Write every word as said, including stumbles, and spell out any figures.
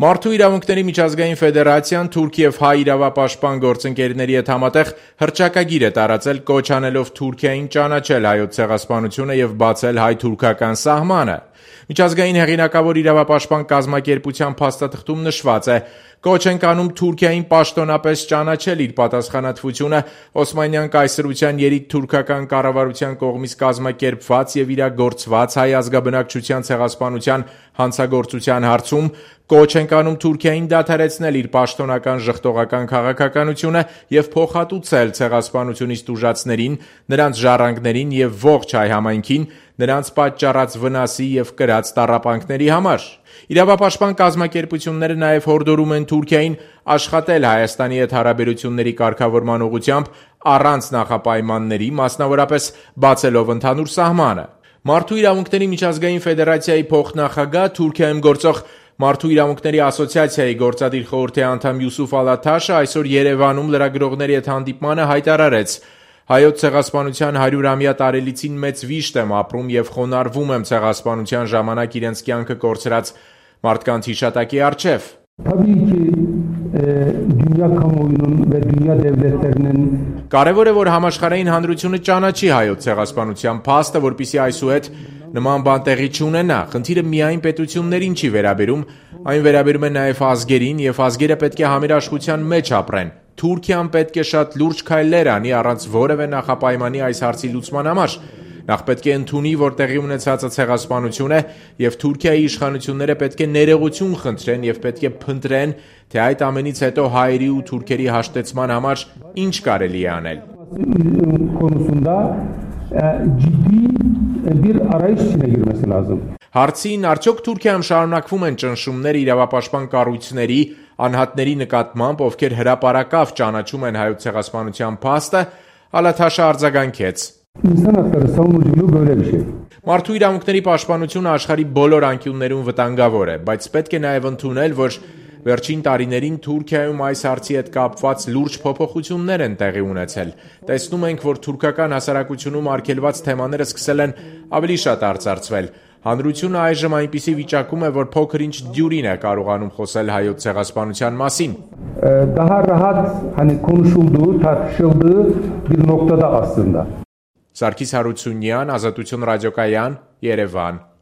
Մարդու իրավունքների միջազգային ֆեդերացիան թուրք և հայ իրավապաշտպան գործընկերների հետ համատեղ հռչակագիր է տարածել կոչ անելով Թուրքիային ճանաչել հայոց ցեղասպանությունը և բացել հայ-թուրքական սահմանը։ Միջազգային հեղինակավոր իրավապաշտպան կազմակերպության փաստաթղթում նշված է. «Կոչ ենք անում Թուրքիային պաշտոնապես ճանաչել իր պատասխանատվությունը Օսմանյան կայսրության երիտթուրքական կառավարության կողմից կազմակերպված և իրագործված հայ ազգաբնակչության ցեղասպանության հանցագործության հարցում, կոչ ենք անում Թուրքիային դադարեցնել իր պաշտոնական ժխտողական քաղաքականությունը և փոխհատուցել ցեղասպանությունից տուժածներին, նրանց ժառանգներին և ողջ հայ համայնքին նրանց պատճառած վնասի և կրած տառապանքների համար»։ Իրավապաշտպան կազմակերպությունները նաև հորդորում են Թուրքիային աշխատել Հայաստանի հետ հարաբերությունների կարգավորման ուղղությամբ առանց նախապայմանների, մասնավորապես բացելով ընդհանուր սահմանը։ Մարդու իրավունքների միջազգային ֆեդերացիայի փոխնախագահ, Թուրքիայում գործող Մարդու իրավունքների ասոցիացիայի գործադիր խորհրդի անդամ Յուսուֆ Ալաթաշը այսօր Երևանում լրագրողների հետ հանդիպմանը հայտարարեց. «Հայոց ցեղասպանության հարյուրամյա տարելիցին մեծ վիշտ եմ ապրում և խոնարհվում եմ ցեղասպանության ժամանակ իրենց կյանքը կորցրած մարդկանց հիշատակի առջև։ Կարևոր է, որ համաշխարհային հանրությունը ճանաչի հայոց ցեղասպանության փաստը, որպեսզի այսուհետ նման բան տեղի չունենա։ Խնդիրը միայն պետություններին չի վերաբերում, այն վերաբերում է նաև ազգերին, և ազգերը պետք է համերաշխության մեջ ապրեն։ Թուրքիան պետք է շատ լուրջ քայլեր անի առանց որևէ նախապայմանի այս հարցի լուծման համար։ Նախ պետք է ընդունի, որ տեղի ունեցածը ցեղասպանություն է, և Թուրքիայի իշխանությունները պետք է ներողություն խնդրեն և պետք է փնտրեն, թե այդ ամենից հետո հայերի ու թուրքերի հաշտեցման համար ինչ կարելի է անել»։ Հարցին, արդյոք Թուրքիայում շարունակվում են ճնշումներ իրավապաշտպան կառույցների, անհատների նկատմամբ, ովքեր հրապարակավ ճանաչում են հայոց ցեղասպանության փաստը, Ալաթաշը արձագանքեց. «Մարդու իրավունքների պաշտպանությունը աշխարհի բոլոր անկյուններում վտանգավոր է, բայց պետք է նաև ընդունել, որ վերջին տարիներին Թուրքիայում այս հարցի հետ կապված լուրջ փոփոխություններ են տեղի ունեցել։ Տեսնում ենք, որ թուրքական հասարակությունում արգելված թեմաները սկսել են ավելի շատ արծարծվել։ Հանրությունը այժմ այնպիսի վիճակում է, որ փոքր-ինչ դյուրին է կարողանում խոսել հայոց ցեղասպանության մասին»։ Սարգիս Հարությունյան, Ազատություն ռադիոկայան, Երևան։